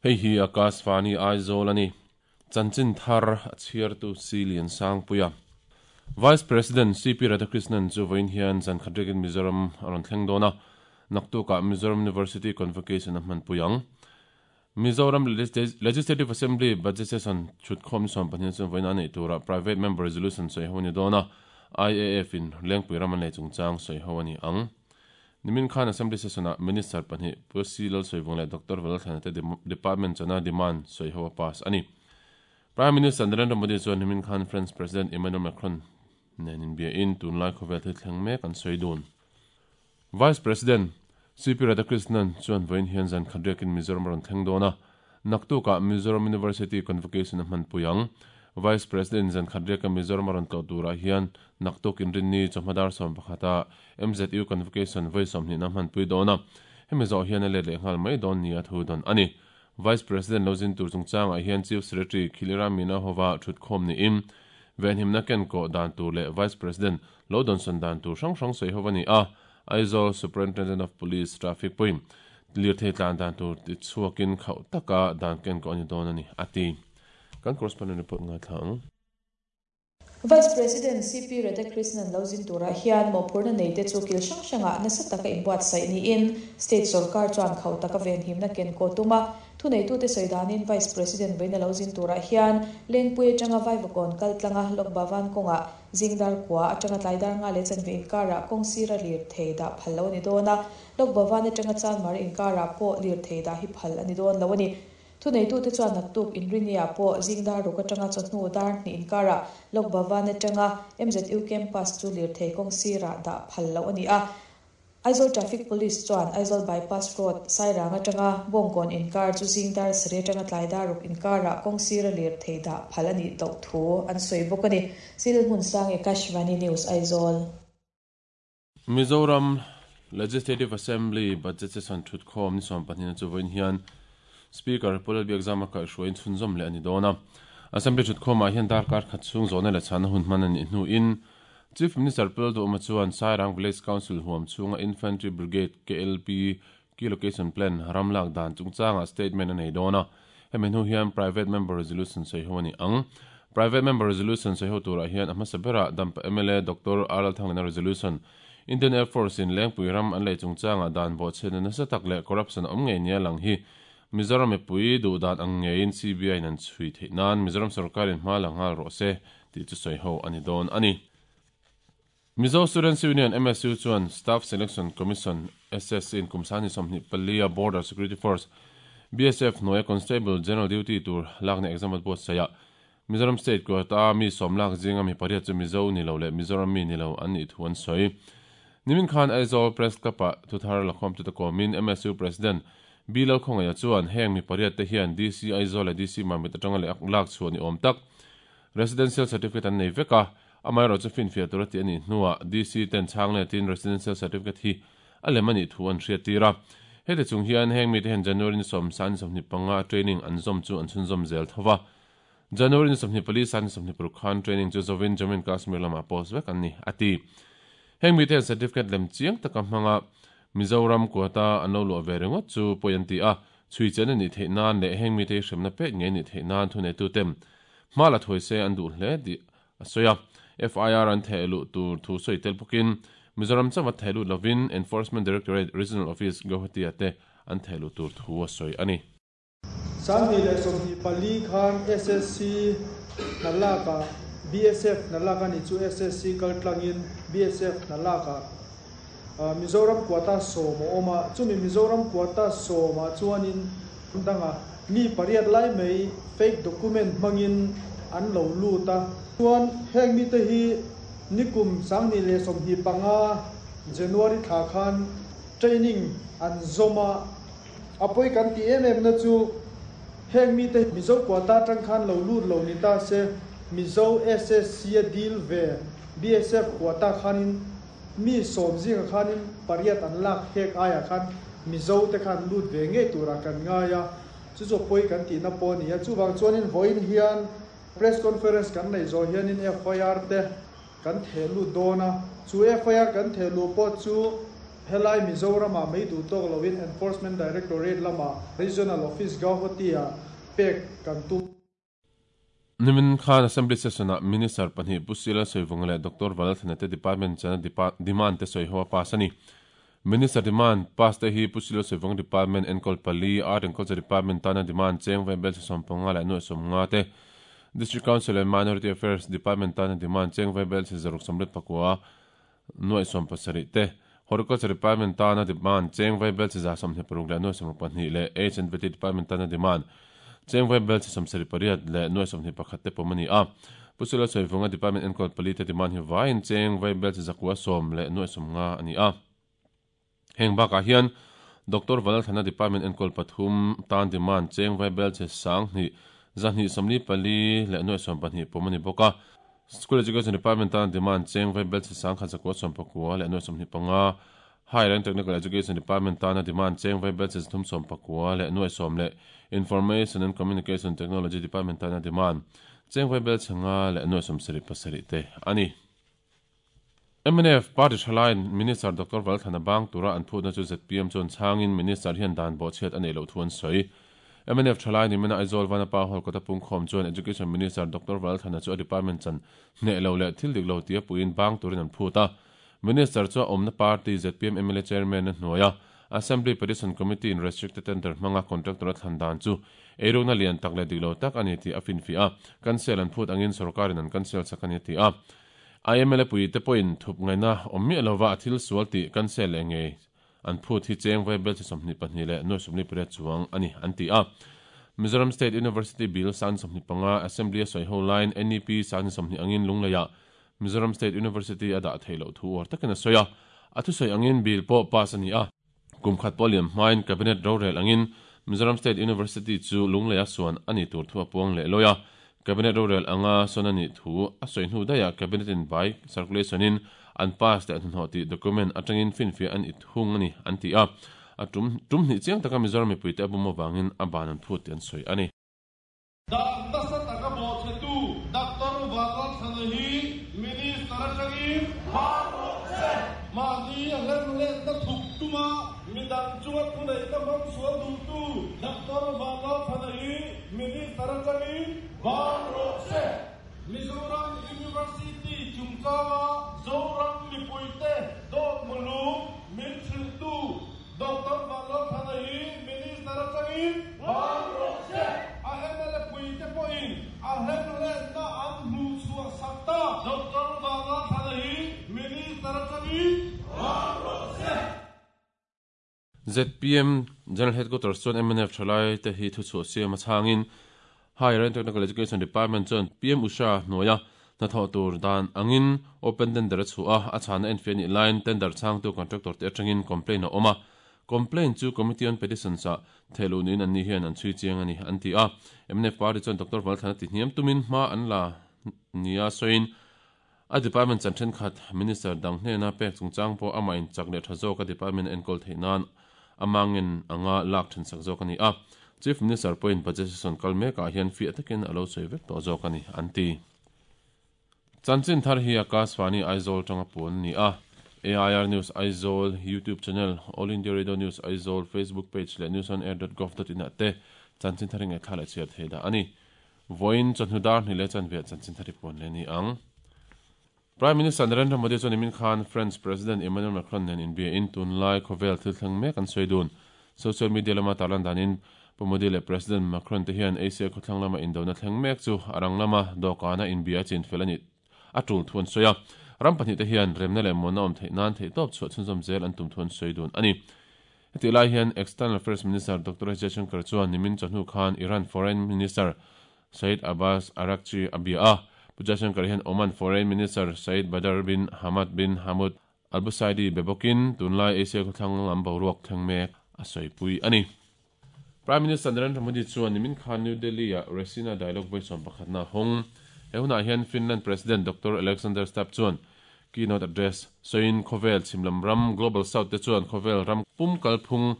Hei hi Akashvani Aizawl a ni. Chanchin thar a chhiartu Silian Sangpuia. Vice President CP Radhakrishnan chu vawiin hian zan khat riakin Mizoram a rawn thleng dawn a, naktukah Mizoram University Convocation a hmanpui ang. Mizoram Legislative Assembly Budget Session chhutkhawm ni 12 chuan vawiin a neih turah Private Member Resolution sawi ho a ni dawn a, IAF in Lengpui ram an lei chungchang sawi ho a ni ang. Nimin khan Assembly Session-ah Minister pahnih Pu C Lalsawivung leh Doctor Valalthlana te Department chana demand sawi ho a pass a ni. Prime Minister Narendra Modi chuan nimin khan French President Emmanuel Macron nen inbiain tunlai khawvel thil thleng mek an sawi dun. Vice President CP Radhakrishnan chuan vawiin hian zan khat riakin Mizoram a rawn thleng dawn a, naktukah Mizoram University Convocation a hmanpui ang. Vice President zan khat riaka Mizoram a rawn tlawh turah hian naktuk inrinni chawhma dar 11 ah MZU Convocation vawi 20 na hmanpui dawn a, hemi zawh hian a let leh nghal mai dawn nia thu dawn a ni. Vice President lo zin tur chungchangah hian Chief Secretary Khilira Meena hova thutkhawm niin venhimna kenkawh dan tur leh Vice President lo dawnsawn dan tur hrang hrang sawi ho a ni a, Aizawl Superintendent of Police Traffic pawhin lirthei tlan dan tur ti chhuakin khauh taka dan kenkawh a ni dawn a ni, a ti. Kan correspondent report ngaithla ang. Vice President CP Radhakrishnan lo zin turah hian mawhphurhna neite chu kil hrang hrangah nasa taka inbuatsaih niin State sorkar chuan khauh taka venhimna kenkawh tum a. Thuneitute sawi danin Vice President vawiina lo zin turah hian Lengpui atanga Vaivakawn kal tlanga Lok Bhavan kawngah Zingdar kua atanga tlaidar nga leh chanve inkarah kawng sira lir thei dah phal lo a ni dawn a, Lok Bhavan atanga Chanmar inkarah pawh lir thei dah hi phal a ni dawn lo a ni. Thuneitute chuan naktuk inriniah pawh zingdar ruk atanga chawhnu dar hnih inkarah Lok Bhavan atanga MZU campus chu lirthei kawng sirah dah phal loh a ni a. Aizawl Traffic Police chuan Aizawl Bypass Road, Sairang atanga Bawngkawn inkar chu zing dar sarih atanga tlai dar ruk inkarah kawng sira lirthei dah phal a nih loh thu an sawi bawk a ni. Sil Hmunsang Akashvani News, Aizawl. Mizoram Legislative Assembly Budget Session thutkhawm ni 12 na chu vawiin hian Speaker Pu Lalbiakzama kaihhruaiin chhunzawm leh a ni dawn a. Assembly thutkhawmah hian darkar khat chhung zawhna leh chhana hun hman a nih hnuin Chief Minister Pu Lalduhawma chuan Sairang Village Council huam chhunga Infantry Brigade KLP Key Location Plan ram lak dan chungchangah statement a nei dawn a. Hemi hnu hian Private Member Resolution sawi ho a ni ang. Private Member Resolution sawi ho turah hian a hmasa berah Dampa mla Doctor R Lalthanglena Resolution, Indian Air Force in Lengpui ram an lei chungchangah dan bawhchhiatna nasa tak leh corruption a awm ngei nia lang hi Mizoram mipui duh dan ang ngeiin CBI in an chhui theih nan Mizoram sorkarin hma la nghal rawh se tih chu sawi ho a ni dawn a ni. Mizo Students Union, MSU, chuan Staff Selection Commission, SSC, in kum 24 a Border Security Force, BSF, hnuaia Constable General Duty tur lakna exam an buatsaih a. Mizoram State quota mi sawm lak zinga mi pariat chu Mizo ni lo leh Mizoram mi ni lo an nih thu an sawi. Nimin khan Aizawl Press Club-ah thuthar lakhawmtute kawmin MSU President B Lalkhawngaia chuan heng mi pariat te hian DC Aizawl leh DC Mamit atanga leh lak chhuah ni awm tak Residential Certificate an nei vek a, amaherawh chu finfiah tura tih a nih hnuah DC ten chhang letin Residential Certificate hi a lem a nih thu an hriattir a. Heti chung hian heng mite hian January ni sawm san ni 25 a training an zawm chu an chhunzawm zel tho va. January ni 24 san ni 26 khan training chu zawin Jammu and Kashmir lamah post vek an ni, a ti. Heng mite hian certificate lem chiang taka hmanga Mizoram quota an lo luah ve ringawt chu pawi an ti a, chhui chen a nih theih nan leh heng mite hi hremna pek ngei a nih theih nan thuneituten hma la thuai se an duh hle tih a sawi a. FIR an theh luh tur thu sawi tel bawkin Mizoram chauh a theh lut lovin Enforcement Directorate Regional Office Guwahati-ah te an theh luh tur thu a sawi a ni. 2024 khan SSC hna lakah BSF hna lak a nih chu SSC kal tlangin BSF hna lakah Mizoram quota sawm a awm a, chumi Mizoram quota sawmah chuanin danga mi pariat lai mai fake document hmangin an lo lut a. Chuan heng mite hi nikum 2025 January thla khan training an zawm a. A pawi kan tih em em na chu heng mite Mizo quota atang khan lo lut lo ni ta se, Mizo SSC a deal ve BSF quota khanin mi sawm zinga khanin pariat an lak hek aiah khan Mizo te khan lut ve ngei turah kan ngai a, chu chu a pawi kan tihna pawh a ni a. Chuvang chuanin vawiin hian press conference kan neih zawh hianin FIR te kan theh lut dawn a, chu FIR kan theh luh pawh chu. Helai Mizoram-ah mai duh tawk loin Enforcement Directorate lamah Regional Office Gauhati-ah pek kan tum. Nimin khan Assembly Session-ah Minister pahnih Pu Sila Sawivunga leh Doctor Valalthana te Department chana demand te sawi ho a pass a ni. Minister demand pass te hi Pu Sila Sawivunga Department enkawl pali, Art and Culture Department tana demand cheng vai bel 15 leh 50 te, District Council and Minority Affairs Department tana demand cheng vai bel 669 7 te, Horticulture Department tana demand cheng vai bel 126 leh 62 leh Age and Vety Department tana demand cheng vai bel 78 leh 21 te pawm a ni a. Pu Sula Sawivunga Department enkawl pali te demand hi vaiin cheng vai bel 910 leh 50 a ni a. Heng bakah hian Doctor Valalthana Department enkawl pathum tan demand cheng vai bel 2 244 leh 22 pawm a ni bawk a. School Education Department tan demand cheng vai bel 1,194 leh 25, Higher and Technical Education Department tana demand cheng vai bel 319 leh 10 leh Information and Communication Technology Department tana demand cheng vai bel 5 leh 77 te a ni. Mnf party thalaiin Minister Doctor Valthana bang tura an phutna chu zpm chuan chhangin Minister hian dan bawhchhiat a neih loh thu an sawi. Mnf thalai ni mena Aizawl Vanapa Hall kawta pungkhawm chuan Education Minister Doctor Valthana chu a department chan hneh lo leh thil dik lo tia puiin bang turin an phut a. Minister chu a awmna party zpm mla chairman a hnuai a, Assembly Petition Committee in restricted tender hmanga contractor a thlan dan chu eirukna lian tak leh dik lo tak a ni tih a finfiah a, cancel an phut angin sorkarin an cancel sak a ni a ti a. IMLA puite pawhin thup ngaihna awm miah lova a thil sual tih cancel leh ngei an phut hi cheng vai bel chi 22 leh nuai 28 chuang a ni an ti a. Mizoram State University Bill sang 25 Assembly a sawi ho laiin NEP sang 20 angin Lungleiah Mizoram State University a dah theih loh thu uar takin a sawi a. A thusawi angin bill pawh pass a ni a. Kum khat pawh liam hmain Cabinet rorel angin Mizoram State University chu Lungleia suan a ni tur thu a puang leh lawi a. Cabinet rorel anga sawn a nih thu a sawi hnu daihah Cabinet in by circulation in an pass leh hnahnawh tih document atangin finfiah an it hung a ni an ti a. A tum tum hnih chiang taka Mizoram mipuite a bum avangin a ban an phut tih an sawi a ni. Dan nasa taka bawhchhetu Doctor Vanlalthana hi Minister atangin hmang rawh se. Mahni a hlemhletna thuk tuma midang chunga thuneihna hmang sual duhtu Doctor Vanlalthana hi Minister atangin hmang rawh se. Mizoram University chungchanga Zoram mipuite dawt mulum min hrilhtu Doctor Vanlalthana hi Minister atangin bang rawh se. A mla puite pawhin a hlemhletna an hmuh chhuah sak ta. Doctor Vanlalthana hi Minister atangin bang rawh se. Zpm General Headquarters chuan mnf thalai te hi thuchhuah siam a chhangin Higher and Technical Education Department chuan PM Usha hnuaia hnathawh tur dan angin open tender a chhuah a, a chhana enfiah nih laiin tender chhangtu contractor te atangin complaint a awm a. Complaint chu Committee on Petitions ah thehluh niin anni hian an chhui chiang a ni, an ti a. Mnf party chuan Doctor Valthana ti hniam tumin hma an la nia sawiin a department chan thenkhat minister dang hnena pek chungchang pawh amah in chak leh tha zawk a department a enkawl theih nan ama ngen anga lak then sak zawk a ni a. Chief Minister pawhin budget session kal mekah hian fiah takin a lo sawi vek tawh zawk a ni, an ti. Chanchin thar hi Akashvani Aizawl tanga puan a ni a. AIR News Aizawl YouTube channel, All India Radio News Aizawl Facebook page leh newsonair.gov.in ah te chanchin thar hi ngaihthla leh chhiar thei dah a ni. Vawiin chawhnu dar hnih leh chanve ah chanchin thar hi puan leh a ni ang. Prime Minister Narendra Modi chuan nimin khan French President Emmanuel Macron nen inbiain tunlai khawvel thil thleng mek an sawi dun. Social media lama tarlan danin Pu Modi leh President Macron te hian Asia khawthlang lama indona thleng mek chu a rang lama dawhkana inbia chinfel a nih a tul thu an sawi a. Ram pahnih te hian remna leh muanna awm theih nan theihtawp chhuah chhunzawm zel an tum thu an sawi dun a ni. Hetih lai hian External Affairs Minister Doctor S Jaishankar chuan nimin chawhnu khan Iran Foreign Minister Saeed Abbas Araghchi a bia a. Pu Jaishankar hian Oman Foreign Minister Saeed Badr bin Hamad bin Hamoud Al Busaidi be bawkin tunlai Asia khawthlang lam boruak thleng mek a sawipui a ni. Prime Minister Narendra Modi chuan nimin khan New Delhi-ah Raisina Dialogue vawi sawm pakhatna a hawng. He hunah hian Finland President Doctor Alexander Stubb chuan keynote address sawiin khawvel chhimlam ram Global South te chuan khawvel ram pum kalphung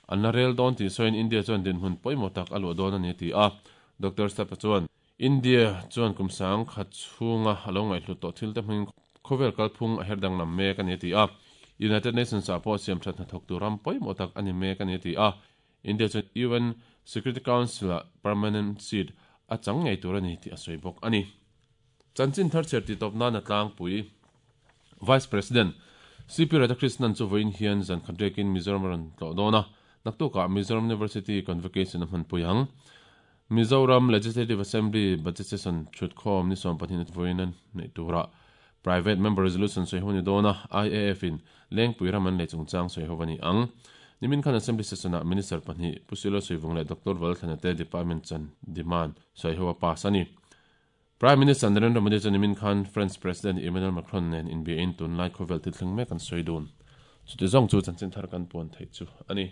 an la rel dawn tih sawiin India chuan dinhmun pawimawh tak a luah dawn a ni a ti a. Doctor Stubb chuan India chuan kum sang khat chhunga a lo ngaihhlut tawh thil te hmangin khawvel kalphung a her danglam mek a ni a ti a. United Nations ah pawh siamthat hnathawktu ram pawimawh tak a ni mek a ni a ti a. India chuan UN Security Council ah permanent seat a chang ngei tur a ni tih a sawi bawk a ni. Chanchin thar chhiar tih tawp nan a tlangpui. Vice President CP Radhakrishnan chu vawiin hian zan khat riakin Mizoram a rawn tlawh dawn a, naktukah Mizoram University Convocation a hmanpui ang. Mizoram Legislative Assembly Budget Session thutkhawm ni 12 a vawiin a neih turah Private Member Resolution sawi ho a ni dawn a, IAF in Lengpui ram an lei chungchang sawi ho a ni ang. Nimin khan Assembly Session-ah Minister pahnih Pu Silo Suivung leh Doctor Valthlana te Department chan demand sawi ho a pass a ni. Prime Minister Narendra Modi chuan nimin khan France President Emmanuel Macron nen inbiain tunlai khawvel thil thleng mek an sawi dun. Chuti zawng chu chanchin thar kan puan theih chu a ni.